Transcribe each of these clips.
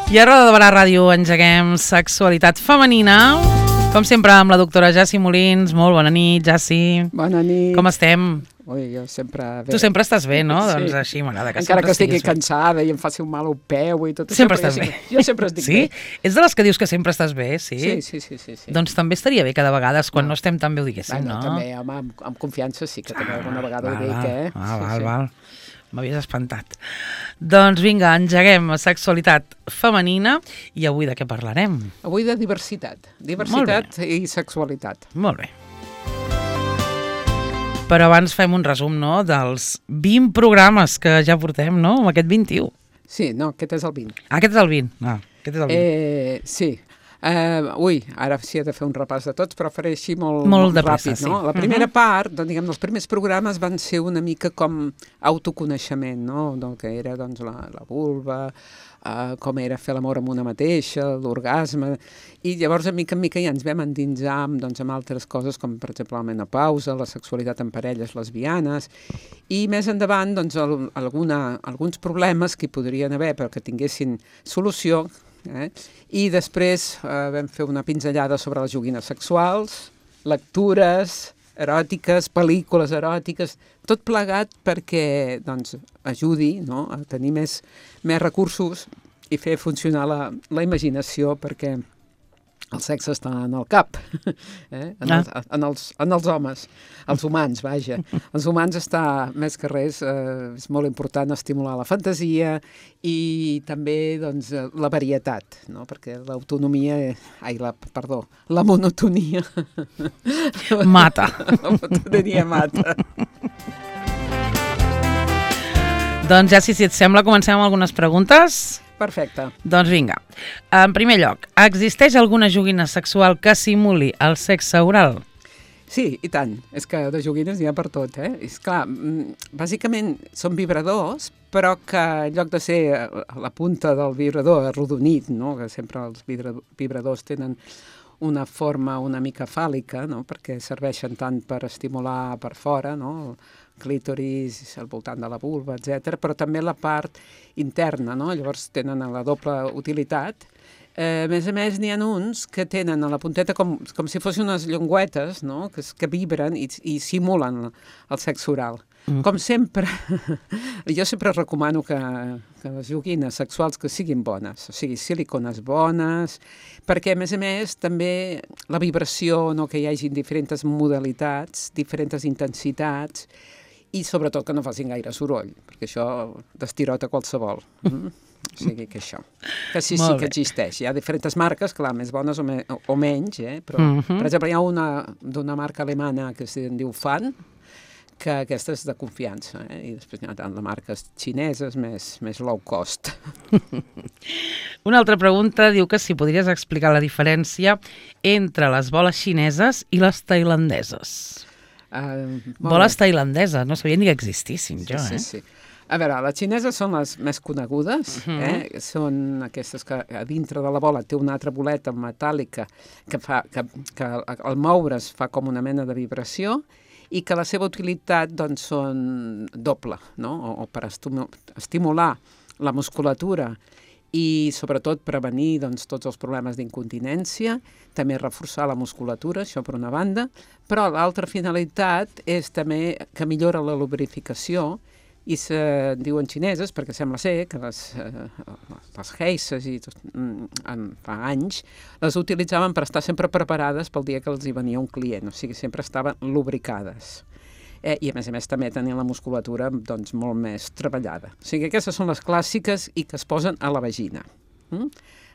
I a Roda de Barà Ràdio engeguem sexualitat femenina, com sempre amb la doctora Jassi Molins. Molt bona nit, Jassi. Bona nit. Com estem? Ui, jo sempre bé. Tu sempre estàs bé, no? Sí. Doncs així m'agrada que encara sempre que estigui estiguis bé. cansada i em faci un mal al peu i tot Sempre això. estàs bé. Jo sempre estic Sí? bé. Ets de les que dius que sempre estàs bé, sí? Sí. Doncs també estaria bé que de vegades, quan no estem tan bé, ho diguéssim, Bueno, no? també, home, amb confiança sí que també alguna vegada ho dic, eh? Val. M'havies espantat. Doncs vinga, engeguem sexualitat femenina i avui de què parlarem? Avui de diversitat. Diversitat i sexualitat. Molt bé. Però abans fem un resum, no?, dels 20 programes que ja portem, no?, amb aquest 21. Sí, no, aquest és el 20. Aquest és el 20. Aquest és el 20. Sí. Ara sí he de fer un repàs de tots, però faré així molt de pressa, ràpid, no? sí. La primera part, doncs, diguem, els primers programes van ser una mica com autoconeixement, no? Del que era, doncs, la vulva, com era fer l'amor amb una mateixa, l'orgasme, i llavors, de mica en mica, ja ens vam endinsar doncs, amb altres coses, com, per exemple, la menopausa, la sexualitat en parelles lesbianes, i més endavant, doncs, alguns problemes que hi podrien haver, però que tinguessin solució, i després vam fer una pinzellada sobre les joguines sexuals, lectures eròtiques, pel·lícules eròtiques, tot plegat perquè doncs, ajudi, no?, a tenir més recursos i fer funcionar la imaginació, perquè el sexe està en el cap, en els homes, els humans, vaja. Els humans està, més que res, és molt important estimular la fantasia i també doncs, la varietat, no? Perquè la monotonia... Mata. La monotonia mata. Doncs ja, si et sembla, comencem amb algunes preguntes. Perfecte. Doncs vinga. En primer lloc, existeix alguna joguina sexual que simuli el sexe oral? Sí, i tant. És que de joguines n'hi ha per tot, eh? És clar, bàsicament són vibradors, però que en lloc de ser la punta del vibrador arrodonit, no?, que sempre els vibradors tenen una forma una mica fàl·lica, no?, perquè serveixen tant per estimular per fora, no?, clítoris, al voltant de la vulva, etc., però també la part interna, no? Llavors tenen la doble utilitat. A més, n'hi ha uns que tenen a la punteta com si fossin unes llengüetes, no?, que vibren i simulen el sexe oral. Com sempre, jo sempre recomano que les joguines sexuals que siguin bones, o sigui, silicones bones, perquè, a més, també la vibració, no?, que hi hagi diferents modalitats, diferents intensitats, i sobretot que no facin gaire soroll, perquè això destirota qualsevol. O sigui que això. Que sí que existeix. Hi ha diferents marques, clar, més bones o menys, però, per exemple, hi ha una d'una marca alemana que se'n diu Fan, que aquesta és de confiança, i després hi ha tant de marques xineses més low cost. Una altra pregunta diu que si podries explicar la diferència entre les boles xineses i les tailandeses. Boles tailandeses, no sabia ni que existissin, jo, Sí. A veure, les xineses són les més conegudes, són aquestes que a dintre de la bola té una altra boleta metàl·lica que al moure's fa com una mena de vibració i que la seva utilitat doncs són doble, no? O per estimular la musculatura i sobretot prevenir doncs, tots els problemes d'incontinència, també reforçar la musculatura, això per una banda, però l'altra finalitat és també que millora la lubrificació i se'n diuen xineses perquè sembla ser que les geisses fa anys les utilitzaven per estar sempre preparades pel dia que els hi venia un client, o sigui, sempre estaven lubricades. I a més també tenien la musculatura doncs, molt més treballada. O sigui, aquestes són les clàssiques i que es posen a la vagina.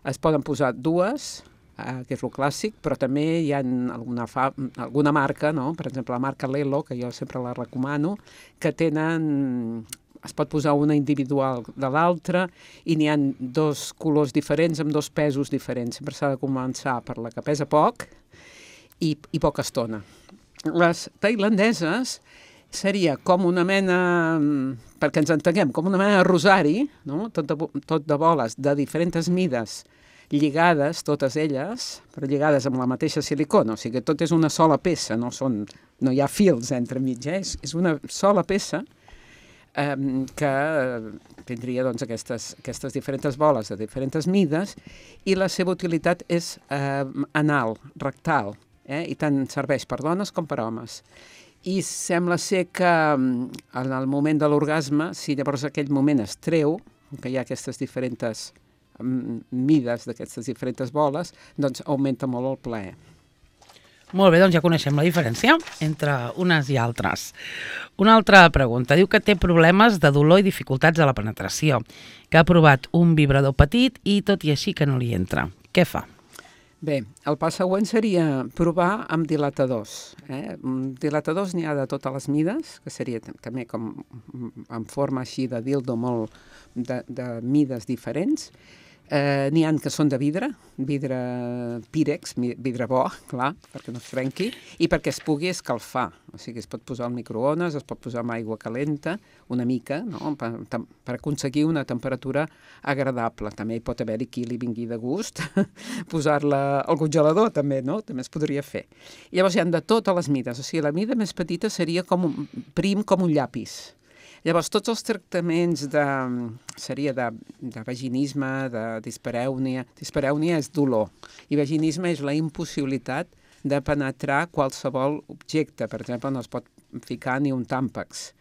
Es poden posar dues, que és el clàssic, però també hi ha alguna marca, no? Per exemple, la marca Lelo, que jo sempre la recomano, que es pot posar una individual de l'altra i n'hi ha dos colors diferents amb dos pesos diferents. Sempre s'ha de començar per la que pesa poc i poca estona. Les tailandeses seria com una mena, perquè ens entenguem, com una mena de rosari, no? Tot de boles de diferents mides, lligades, totes elles, però lligades amb la mateixa silicona, o sigui que tot és una sola peça, no hi ha fils entre mig, és una sola peça, que tindria doncs, aquestes diferents boles de diferents mides, i la seva utilitat és anal, rectal, i tant serveix per dones com per homes. I sembla ser que en el moment de l'orgasme, si llavors aquell moment es treu, que hi ha aquestes diferents mides d'aquestes diferents boles, doncs augmenta molt el plaer. Molt bé, doncs ja coneixem la diferència entre unes i altres. Una altra pregunta. Diu que té problemes de dolor i dificultats a la penetració, que ha provat un vibrador petit i tot i així que no li entra. Què fa? Bé, el pas següent seria provar amb dilatadors. Dilatadors n'hi ha de totes les mides, que seria també com en forma així de dildo molt de mides diferents. N'hi ha que són de vidre pírex, vidre bo, clar, perquè no es trenqui, i perquè es pugui escalfar. O sigui, es pot posar al microones, es pot posar amb aigua calenta, una mica, no? per aconseguir una temperatura agradable. També hi pot haver-hi qui li vingui de gust posar-la al congelador, també, no? També es podria fer. I llavors hi ha de totes les mides. O sigui, la mida més petita seria prim com un llapis. Llavors, tots els tractaments seria de vaginisme, de disparèunia. Disparèunia és dolor i vaginisme és la impossibilitat de penetrar qualsevol objecte. Per exemple, no es pot ficar ni un tàmpax.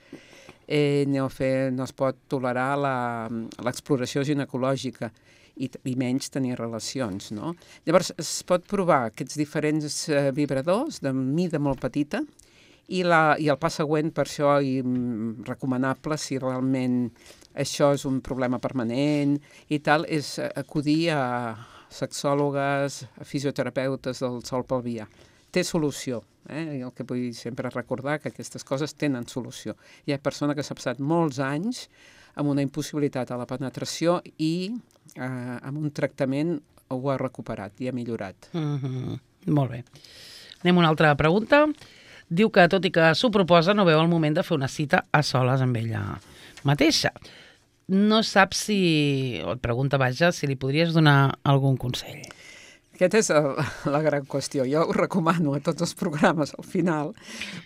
No es pot tolerar l'exploració ginecològica i menys tenir relacions, no? Llavors, es pot provar aquests diferents vibradors de mida molt petita, i el pas següent, per això, recomanable, si realment això és un problema permanent i tal, és acudir a sexòlogues, a fisioterapeutes del sòl pelvià. Té solució. El que vull sempre recordar que aquestes coses tenen solució. Hi ha persona que s'ha passat molts anys amb una impossibilitat a la penetració i amb un tractament ho ha recuperat i ha millorat. Molt bé. Anem a una altra pregunta. Diu que, tot i que s'ho proposa, no veu el moment de fer una cita a soles amb ella mateixa. No sap o et pregunta, vaja, si li podries donar algun consell. Aquesta és la gran qüestió. Jo ho recomano a tots els programes al final,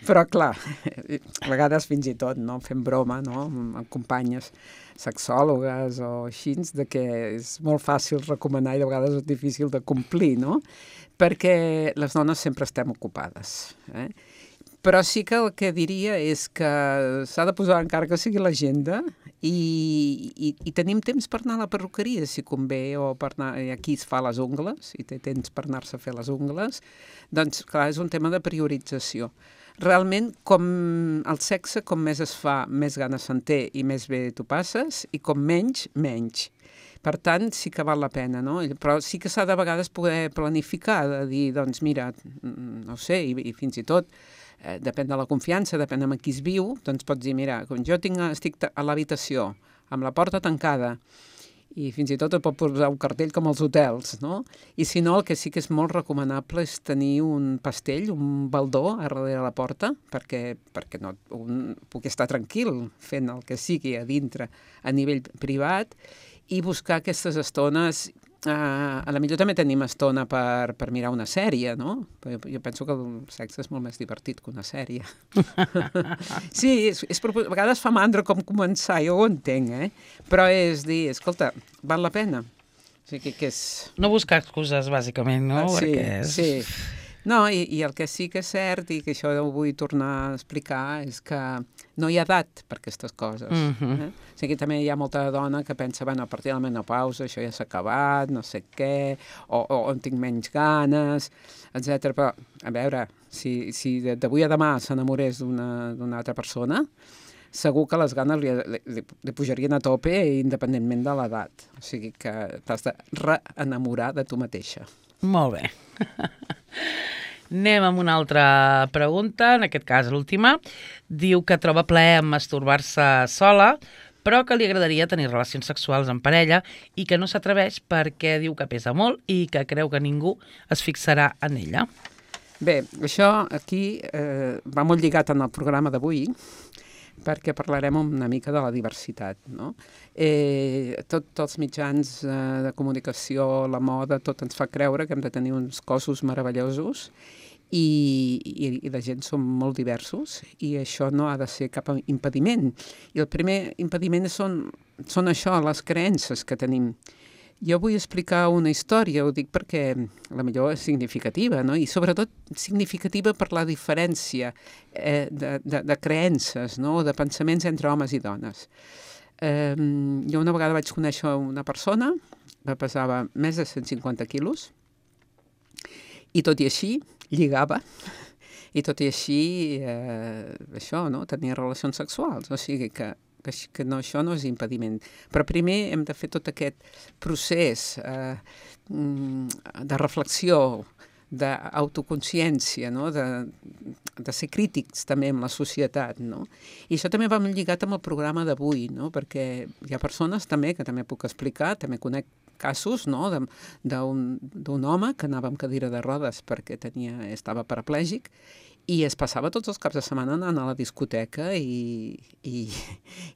però clar, a vegades fins i tot, no, fem broma, no, amb companyes sexòlogues o així, de que és molt fàcil recomanar i de vegades és difícil de complir, no? Perquè les dones sempre estem ocupades, Però sí que el que diria és que s'ha de posar, encara que sigui l'agenda, i tenim temps per anar a la perruqueria, si convé, o per anar, aquí es fa les ungles, i té temps per anar-se a fer les ungles, doncs, clar, és un tema de priorització. Realment, com el sexe, com més es fa, més ganes se'n té i més bé t'ho passes, i com menys, menys. Per tant, sí que val la pena, no? Però sí que s'ha de vegades poder planificar, de dir, doncs mira, no sé, i fins i tot, depèn de la confiança, depèn amb qui es viu, doncs pots dir, mira, com jo estic a l'habitació, amb la porta tancada, i fins i tot et pot posar un cartell com als hotels, no? I si no, el que sí que és molt recomanable és tenir un pastell, un baldó a darrere la porta, perquè no, pugui estar tranquil fent el que sigui a dintre a nivell privat, i buscar aquestes estones. A la millor també tenim estona per mirar una sèrie, no? Jo penso que el sexe és molt més divertit que una sèrie. Sí, a vegades fa mandra com començar, jo ho entenc, però és dir, escolta, val la pena. O sigui, que és... No buscar excuses, bàsicament, no? Sí. No, i el que sí que és cert, i que això ho vull tornar a explicar, és que no hi ha edat per aquestes coses. O sigui, també hi ha molta dona que pensa, bueno, a partir de la menopausa això ja s'ha acabat, no sé què, o en tinc menys ganes, etc. Però, a veure, si d'avui a demà s'enamorés d'una altra persona, segur que les ganes li pujarien a tope independentment de l'edat. O sigui que t'has de reenamorar de tu mateixa. Molt bé. Anem amb una altra pregunta, en aquest cas l'última. Diu que troba plaer en masturbar-se sola, però que li agradaria tenir relacions sexuals en parella i que no s'atreveix perquè diu que pesa molt i que creu que ningú es fixarà en ella. Bé, això aquí va molt lligat en el programa d'avui, perquè parlarem una mica de la diversitat, no? Tots els mitjans de comunicació, la moda, tot ens fa creure que hem de tenir uns cossos meravellosos i la gent som molt diversos i això no ha de ser cap impediment. I el primer impediment són això, les creences que tenim. Jo vull explicar una història, ho dic perquè la millor és significativa, no? I sobretot significativa per la diferència de creences, no? De pensaments entre homes i dones. Jo una vegada vaig conèixer una persona que pesava més de 150 quilos i tot i així lligava i tot i així això, no? Tenia relacions sexuals, o sigui que això no és impediment. Però primer hem de fer tot aquest procés de reflexió, d'autoconsciència, no? De ser crítics també amb la societat, no? I això també va lligat amb el programa d'avui, no? Perquè hi ha persones també, que també puc explicar, també conec casos, no? d'un home que anava amb cadira de rodes perquè estava paraplègic i es passava tots els caps de setmana anant a la discoteca i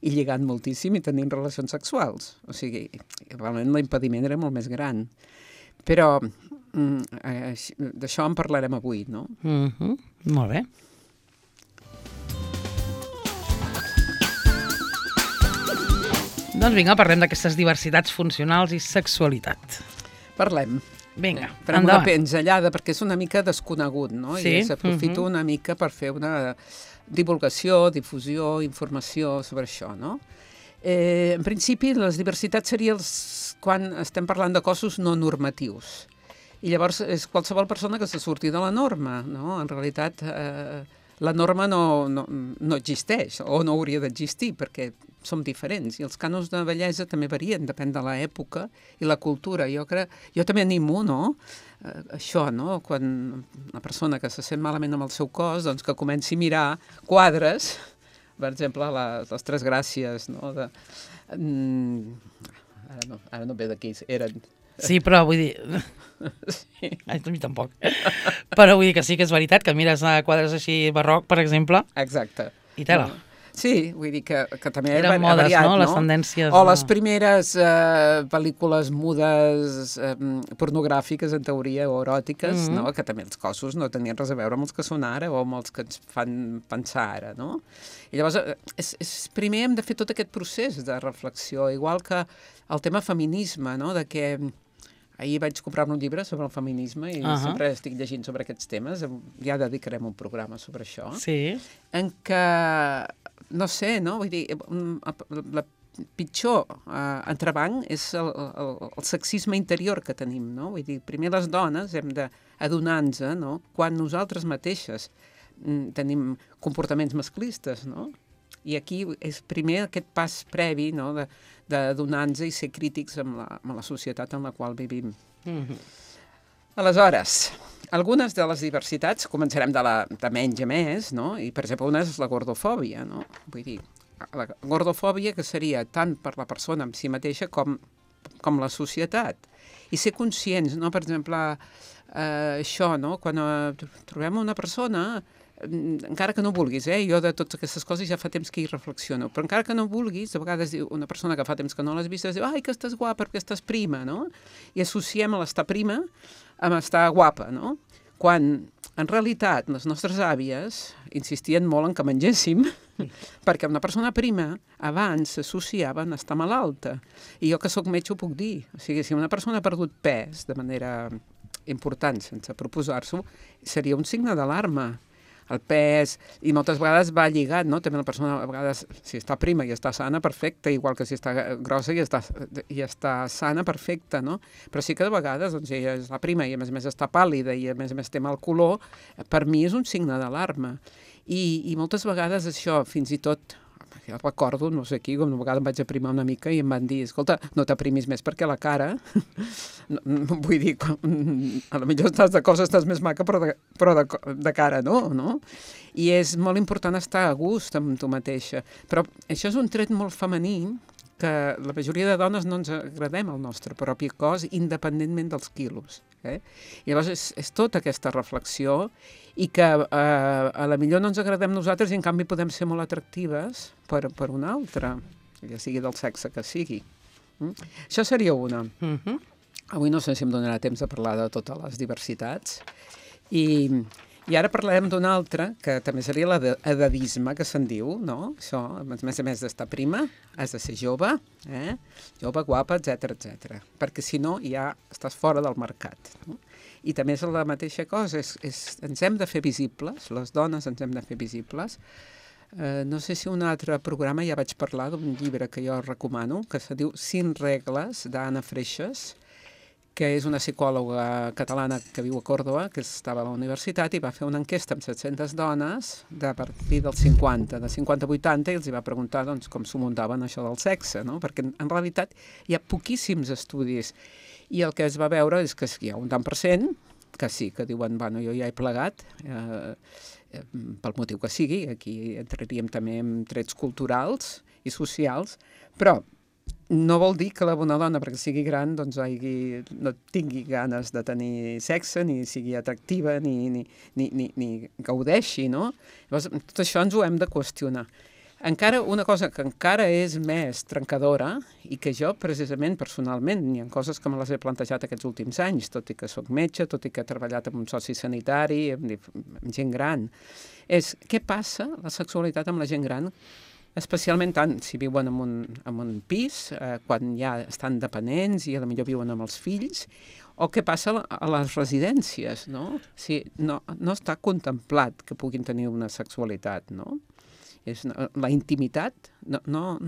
lligant moltíssim i tenint relacions sexuals. O sigui, realment l'impediment era molt més gran. Però d'això en parlarem avui, no? Molt bé. Doncs vinga, parlem d'aquestes diversitats funcionals i sexualitat. Parlem. Vinga, farem una pinzellada perquè és una mica desconegut, no? Sí. I s'aprofito una mica per fer una divulgació, difusió, informació sobre això, no? En principi, les diversitats serien quan estem parlant de cossos no normatius. I llavors és qualsevol persona que se surti de la norma, no? En realitat, la norma no existeix o no hauria d'existir perquè som diferents i els cànons de bellesa també varien, depèn de l'època i la cultura. Jo també animo, no? Això, no? Quan una persona que se sent malament amb el seu cos, doncs que comenci a mirar quadres, per exemple, les Tres Gràcies, no? Ara no ve d'aquí, eren... Sí, però vull dir... Sí. A mi tampoc. Però vull dir que sí que és veritat, que mires quadres així barroc, per exemple. Exacte. I tela. No. Sí, vull dir que també eren modes, variat, no? Les tendències... O les primeres pel·lícules mudes pornogràfiques, en teoria, o eròtiques, no? Que també els cossos no tenien res a veure amb els que són ara o amb els que ens fan pensar ara, no? I llavors, primer hem de fer tot aquest procés de reflexió, igual que el tema feminisme, no? De que ahir vaig comprar-me un llibre sobre el feminisme i sempre estic llegint sobre aquests temes. Ja dedicarem un programa sobre això. Sí. En què, no sé, no? Vull dir, la pitjor entrebanc és el sexisme interior que tenim, no? Vull dir, primer les dones hem d'adonar-nos, no? Quan nosaltres mateixes tenim comportaments masclistes, no? I aquí és primer aquest pas previ, no?, d'adonar-nos i ser crítics amb la societat en la qual vivim. Aleshores, algunes de les diversitats, començarem de menys a més, no? I, per exemple, una és la gordofòbia, no? Vull dir, la gordofòbia que seria tant per la persona en si mateixa com la societat. I ser conscients, no? Per exemple, això, no? Quan trobem una persona... encara que no vulguis, jo de totes aquestes coses ja fa temps que hi reflexiono, però encara que no vulguis, a vegades una persona que fa temps que no l'has vist diu, ai, que estàs guapa perquè estàs prima, no? I associem l'estar prima amb estar guapa, no? Quan, en realitat, les nostres àvies insistien molt en que mengéssim, perquè una persona prima abans s'associava a estar malalta. I jo que soc metge ho puc dir. O sigui, si una persona ha perdut pes de manera important, sense proposar-s'ho, seria un signe d'alarma. El pes, i moltes vegades va lligat, no? També la persona, a vegades, si està prima i està sana, perfecte, igual que si està grossa i està sana, perfecte, no? Però sí que de vegades, doncs, ella és la prima i a més està pàl·lida i a més té mal color, per mi és un signe d'alarma. I moltes vegades això, fins i tot, jo recordo, no sé qui, una vegada em vaig aprimar una mica i em van dir, escolta, no t'aprimis més perquè la cara, vull dir, a lo millor estàs de cosa, estàs més maca, però de cara no? I és molt important estar a gust amb tu mateixa. Però això és un tret molt femení, que la majoria de dones no ens agradem el nostre propi cos, independentment dels quilos. Llavors és tota aquesta reflexió i que a la millor no ens agradem nosaltres i en canvi podem ser molt atractives per una altra, ja sigui del sexe que sigui. Això seria una. Avui no sé si em donarà temps de parlar de totes les diversitats. I I ara parlarem d'un altre, que també seria l'edadisme, que se'n diu, no? Això, a més d'estar prima, has de ser jove, jove, guapa, etc. Perquè si no, ja estàs fora del mercat. No? I també és la mateixa cosa, ens hem de fer visibles, les dones ens hem de fer visibles. No sé si un altre programa ja vaig parlar d'un llibre que jo recomano, que se diu 5 regles, d'Anna Freixas, que és una psicòloga catalana que viu a Còrdova, que estava a la universitat i va fer una enquesta amb 700 dones de partir dels 50, de 50 a 80, i els va preguntar doncs, com s'ho muntaven això del sexe, no? Perquè en realitat hi ha poquíssims estudis i el que es va veure és que hi ha un tant per cent que sí, que diuen, bueno, jo ja he plegat, pel motiu que sigui, aquí entraríem també en trets culturals i socials, però no vol dir que la bona dona, perquè sigui gran, doncs no tingui ganes de tenir sexe, ni sigui atractiva, ni gaudeixi, no? Llavors, tot això ens ho hem de qüestionar. Encara una cosa que encara és més trencadora i que jo, precisament, personalment, hi ha coses que me les he plantejat aquests últims anys, tot i que soc metge, tot i que he treballat amb un soci sanitari, amb gent gran, és què passa la sexualitat amb la gent gran, especialment tant si viuen en un pis, quan ja estan dependents i potser viuen amb els fills, o què passa a les residències, no? Si no està contemplat que puguin tenir una sexualitat, no? La intimitat no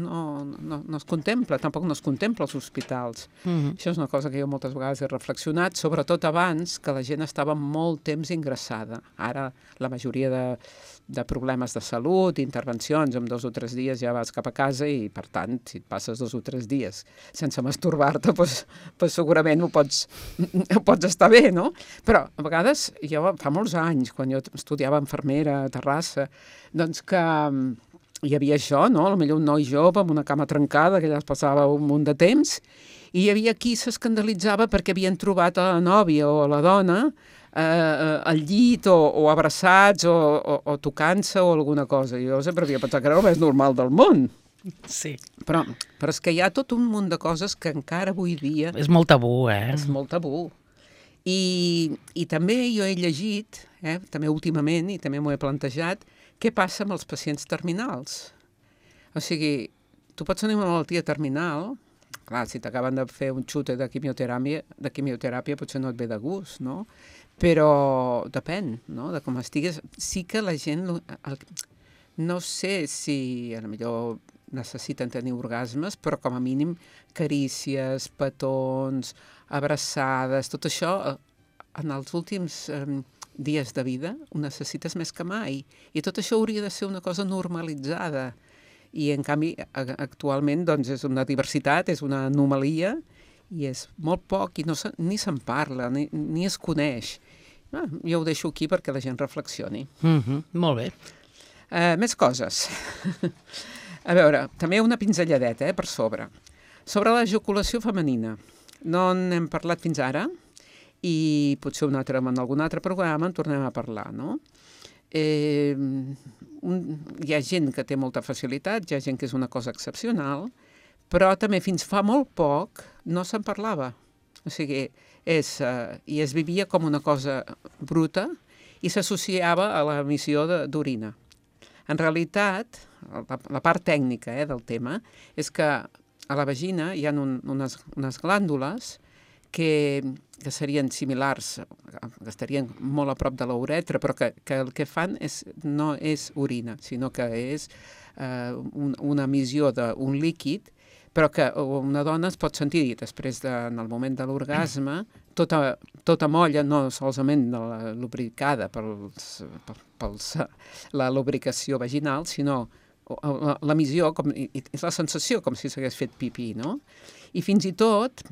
es contempla, tampoc no es contempla als hospitals. Això és una cosa que jo moltes vegades he reflexionat, sobretot abans, que la gent estava molt temps ingressada. Ara la majoria de problemes de salut, intervencions, en 2 o 3 dies ja vas cap a casa i, per tant, si et passes 2 o 3 dies sense masturbar-te, doncs segurament ho pots estar bé, no? Però a vegades, jo fa molts anys, quan jo estudiava infermera a Terrassa, doncs que hi havia això, no? Potser un noi jove amb una cama trencada, que ja es passava un munt de temps, i hi havia qui s'escandalitzava perquè havien trobat a la nòvia o a la dona al llit o abraçats o tocant-se o alguna cosa. Jo sempre havia pensat que era el més normal del món. Sí. Però és que hi ha tot un munt de coses que encara avui dia... És molt tabú, És molt tabú. I també jo he llegit, també últimament, i també m'ho he plantejat, què passa amb els pacients terminals. O sigui, tu pots tenir una malaltia terminal, clar, si t'acaben de fer un xute de quimioteràpia potser no et ve de gust, no? Però depèn, no?, de com estigues. Sí que la gent, no sé si potser necessiten tenir orgasmes, però com a mínim carícies, petons, abraçades, tot això en els últims dies de vida ho necessites més que mai. I tot això hauria de ser una cosa normalitzada. I en canvi actualment doncs, és una diversitat, és una anomalia, i és molt poc i ni se'n parla, ni es coneix. Jo ho deixo aquí perquè la gent reflexioni. Molt bé. Més coses. A veure, també una pinzelladeta per sobre. Sobre l'ejaculació femenina. No n'hem parlat fins ara i potser en algun altre programa en tornem a parlar, no? Hi ha gent que té molta facilitat, hi ha gent que és una cosa excepcional, però també fins fa molt poc no se'n parlava. O sigui, i es vivia com una cosa bruta i s'associava a l'emissió d'orina. En realitat, la part tècnica del tema és que a la vagina hi ha unes glàndules que serien similars, que estarien molt a prop de la uretra, però que el que fan no és orina, sinó que és una emissió d'un líquid, però que una dona es pot sentir després, en el moment de l'orgasme, tota molla, no solament lubricada per la lubricació vaginal, sinó l'emissió, és la sensació com si s'hagués fet pipí, no? I fins i tot,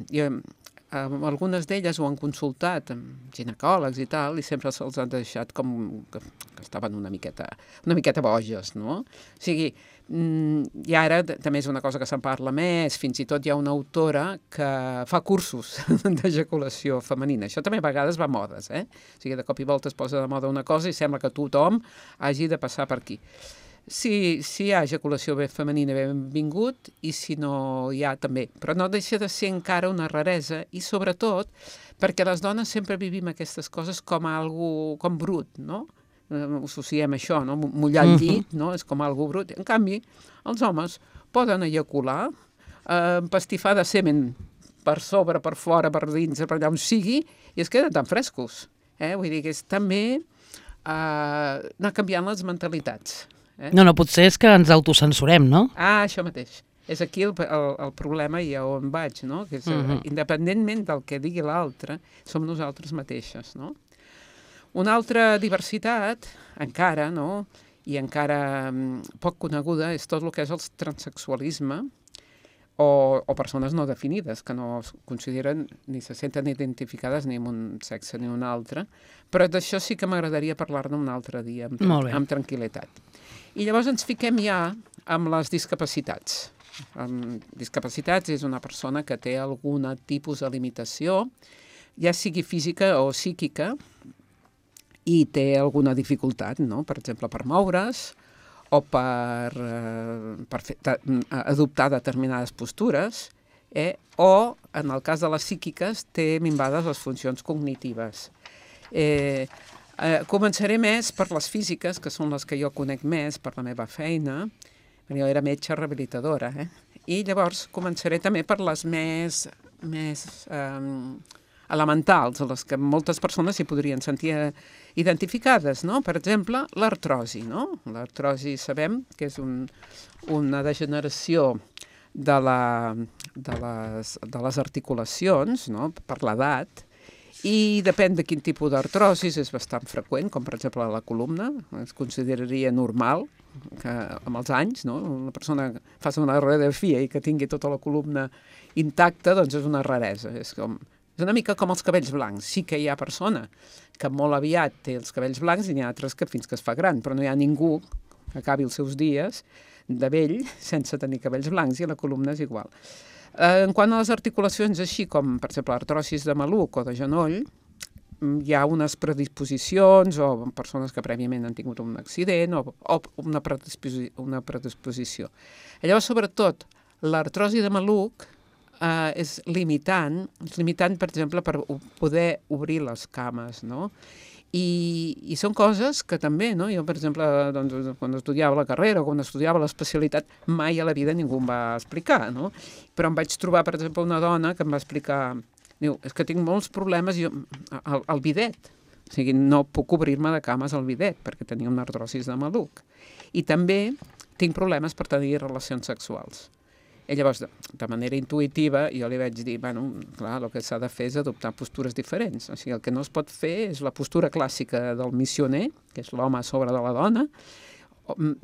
algunes d'elles ho han consultat amb ginecòlegs i tal, i sempre se'ls ha deixat com que estaven una miqueta boges, no? O sigui, i ara també és una cosa que se'n parla més, fins i tot hi ha una autora que fa cursos d'ejaculació femenina. Això també a vegades va a modes, O sigui, de cop i volta es posa de moda una cosa i sembla que tothom hagi de passar per aquí. Si hi ha ejaculació femenina, benvingut, i si no hi ha, també. Però no deixa de ser encara una raresa, i sobretot perquè les dones sempre vivim aquestes coses com algo com brut, no? Ho associem això, no? Mullar el llit, no? És com algo brut. En canvi, els homes poden ejacular, empastifar de semen per sobre, per fora, per dins, per allà on sigui, i es queden tan frescos. Vull dir que és també anar canviant les mentalitats. No, potser és que ens autocensurem, no? Això mateix. És aquí el problema i a on vaig, no? Que és, independentment del que digui l'altre, som nosaltres mateixes, no? Una altra diversitat, encara, no? I encara poc coneguda, és tot el que és el transsexualisme, o persones no definides, que no es consideren ni se senten identificades ni amb un sexe ni un altre, però d'això sí que m'agradaria parlar-ne un altre dia, amb tranquil·litat. I llavors ens fiquem ja amb les discapacitats. Discapacitats és una persona que té algun tipus de limitació, ja sigui física o psíquica, i té alguna dificultat, no? Per exemple, per moure's, o per adoptar determinades postures, o, en el cas de les psíquiques, té minvades les funcions cognitives. Començaré més per les físiques, que són les que jo conec més per la meva feina. Jo era metge rehabilitadora, i llavors començaré també per les més elementals, a les que moltes persones s'hi podrien sentir identificades, no? Per exemple, l'artrosi, no? L'artrosi sabem que és una degeneració de les articulacions, no? Per l'edat, i depèn de quin tipus d'artrosis, és bastant freqüent, com per exemple la columna, es consideraria normal que amb els anys, no? Una persona que faci una radiografia i que tingui tota la columna intacta, doncs és una raresa, és una mica com els cabells blancs. Sí que hi ha persona que molt aviat té els cabells blancs i n'hi ha altres que fins que es fa gran, però no hi ha ningú que acabi els seus dies de vell sense tenir cabells blancs, i la columna és igual. En quant a les articulacions, així com, per exemple, l'artrosis de maluc o de genoll, hi ha unes predisposicions o persones que prèviament han tingut un accident o una predisposició. Llavors, sobretot, l'artrosi de maluc és limitant, per exemple, per poder obrir les cames, no? I són coses que també, no? Jo, per exemple, doncs, quan estudiava la carrera o quan estudiava l'especialitat, mai a la vida ningú em va explicar, no? Però em vaig trobar, per exemple, una dona que em va explicar, diu, és que tinc molts problemes al bidet, o sigui, no puc obrir-me de cames al bidet perquè tenia una artrosis de maluc. I també tinc problemes per tenir relacions sexuals. I llavors, de manera intuïtiva, jo li vaig dir, bueno, clar, el que s'ha de fer és adoptar postures diferents. O sigui, el que no es pot fer és la postura clàssica del missioner, que és l'home a sobre de la dona,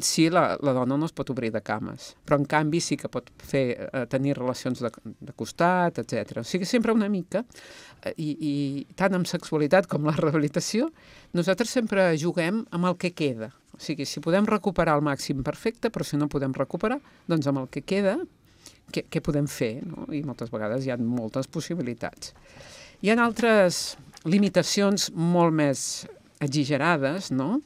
si la dona no es pot obrir de cames. Però, en canvi, sí que pot tenir relacions de costat, etc. O sigui, sempre una mica, i tant amb sexualitat com la rehabilitació, nosaltres sempre juguem amb el que queda. O sigui, si podem recuperar al màxim, perfecte, però si no podem recuperar, doncs amb el que queda, què podem fer, no? I moltes vegades hi ha moltes possibilitats. Hi ha altres limitacions molt més exagerades, no?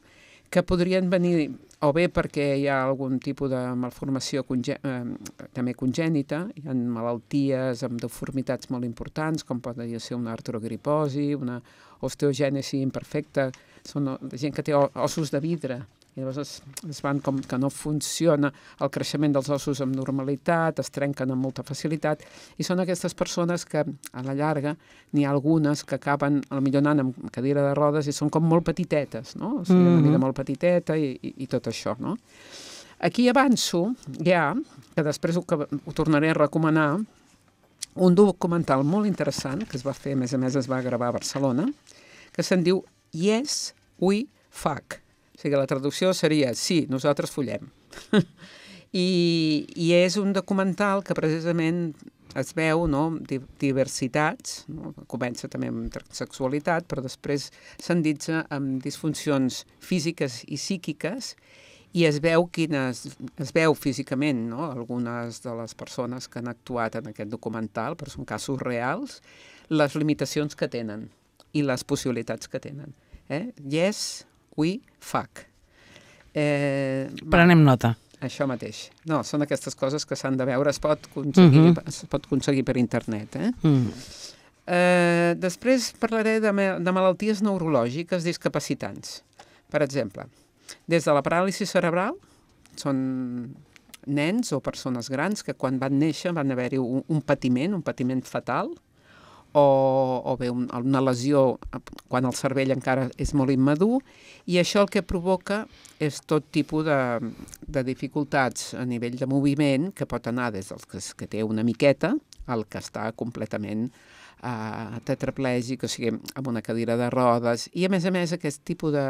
Que podrien venir o bé perquè hi ha algun tipus de malformació també congènita, hi ha malalties amb deformitats molt importants, com podria ser una artrogriposi, una osteogènesi imperfecta, són gent que té ossos de vidre, i llavors es van com que no funciona el creixement dels ossos amb normalitat, es trenquen amb molta facilitat, i són aquestes persones que a la llarga n'hi ha algunes que acaben potser anant amb cadira de rodes i són com molt petitetes, no? O sigui, una vida molt petiteta i tot això, no? Aquí avanço ja, que després ho tornaré a recomanar, un documental molt interessant que es va fer, a més es va gravar a Barcelona, que se'n diu Yes, We Fuck. O sigui, la traducció seria sí, nosaltres follem. I és un documental que precisament es veu, no, diversitats, no? Comença també amb sexualitat, però després s'enditza amb disfuncions físiques i psíquiques, i es veu físicament, no? Algunes de les persones que han actuat en aquest documental, però són casos reals, les limitacions que tenen i les possibilitats que tenen. Yes, we fuck. Prenem nota. Això mateix. No, són aquestes coses que s'han de veure, es pot aconseguir per internet. Després parlaré de malalties neurològiques discapacitants. Per exemple, des de la paràlisi cerebral, són nens o persones grans que quan van néixer van haver-hi un patiment fatal, o bé una lesió quan el cervell encara és molt immadur, i això el que provoca és tot tipus de dificultats a nivell de moviment, que pot anar des del que té una miqueta al que està completament tetraplègic, o sigui, amb una cadira de rodes, i a més aquest tipus de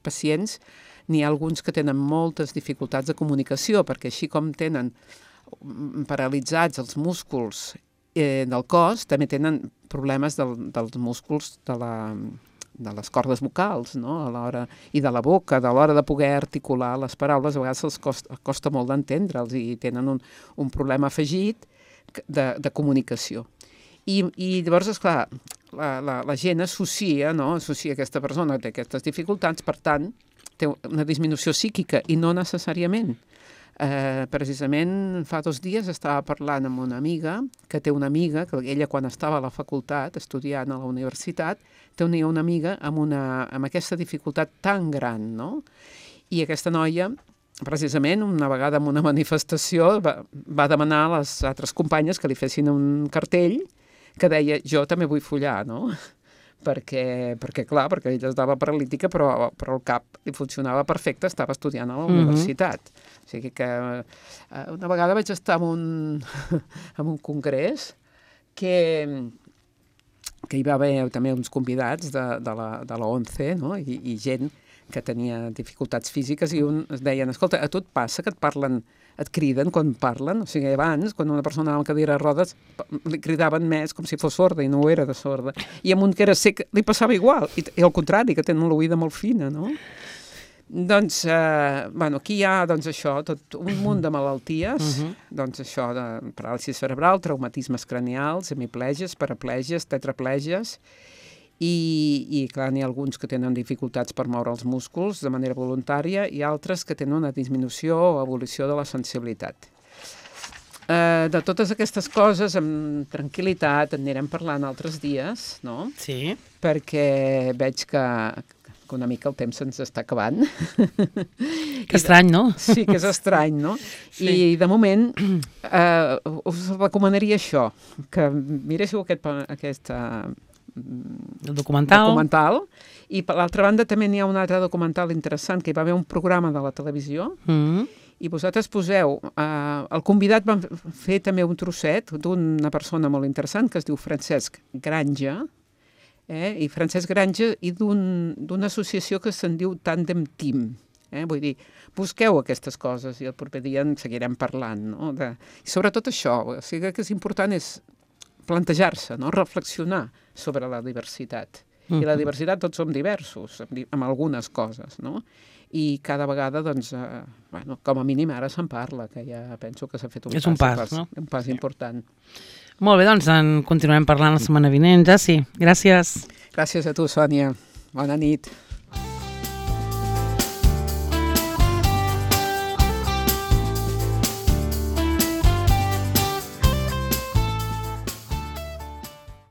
pacients n'hi ha alguns que tenen moltes dificultats de comunicació, perquè així com tenen paralitzats els músculs del cos, també tenen problemes dels músculs de les cordes vocals, no? A l'hora, i de la boca, de l'hora de poder articular les paraules, a vegades els costa molt d'entendre'ls i tenen un problema afegit de comunicació. I llavors, esclar, la gent associa aquesta persona, té aquestes dificultats, per tant, té una disminució psíquica, i no necessàriament. Precisament fa 2 dies estava parlant amb una amiga, que té una amiga, que ella quan estava a la facultat, estudiant a la universitat, tenia una amiga amb aquesta dificultat tan gran, no? I aquesta noia, precisament, una vegada en una manifestació, va demanar a les altres companyes que li fessin un cartell que deia, jo també vull follar, no? Perquè ella estava paralítica, però el cap li funcionava perfecte, estava estudiant a la universitat. O sigui que una vegada vaig estar en un congrés que hi va haver també uns convidats de la ONCE, no? I gent que tenia dificultats físiques, i es deien, escolta, a tu et passa que et criden quan parlen? O sigui, abans, quan una persona amb cadira de rodes, li cridaven més com si fos sorda, i no ho era de sorda. I amb un que era sec li passava igual, i al contrari, que tenen l'oïda molt fina, no? Doncs, aquí hi ha, això, tot un munt de malalties, doncs això, de paràlisi cerebral, traumatismes cranials, hemiplegies, paraplegies, tetraplegies, i clar, n'hi ha alguns que tenen dificultats per moure els músculs de manera voluntària, i altres que tenen una disminució o evolució de la sensibilitat. De totes aquestes coses, amb tranquil·litat, en anirem parlant altres dies, no? Sí. Perquè veig que una mica el temps se'ns està acabant. Que estrany, no? Sí, que és estrany, no? Sí. I de moment us recomanaria això, que miréssiu aquest documental. I per l'altra banda també n'hi ha un altre documental interessant, que hi va haver un programa de la televisió, i vosaltres poseu, el convidat va fer també un trosset d'una persona molt interessant que es diu Francesc Granja, i Francesc Granja, i d'una associació que se'n diu Tandem Team. Vull dir, busqueu aquestes coses i el proper dia en seguirem parlant, no? I sobretot això, o sigui que és important és plantejar-se, no? Reflexionar sobre la diversitat. I la diversitat tots som diversos, amb algunes coses, no? I cada vegada, doncs, com a mínim ara se'n parla, que ja penso que s'ha fet un pas, no? Un pas important. Molt bé, doncs en continuem parlant la setmana vinent, ja sí. Gràcies. Gràcies a tu, Sònia. Bona nit.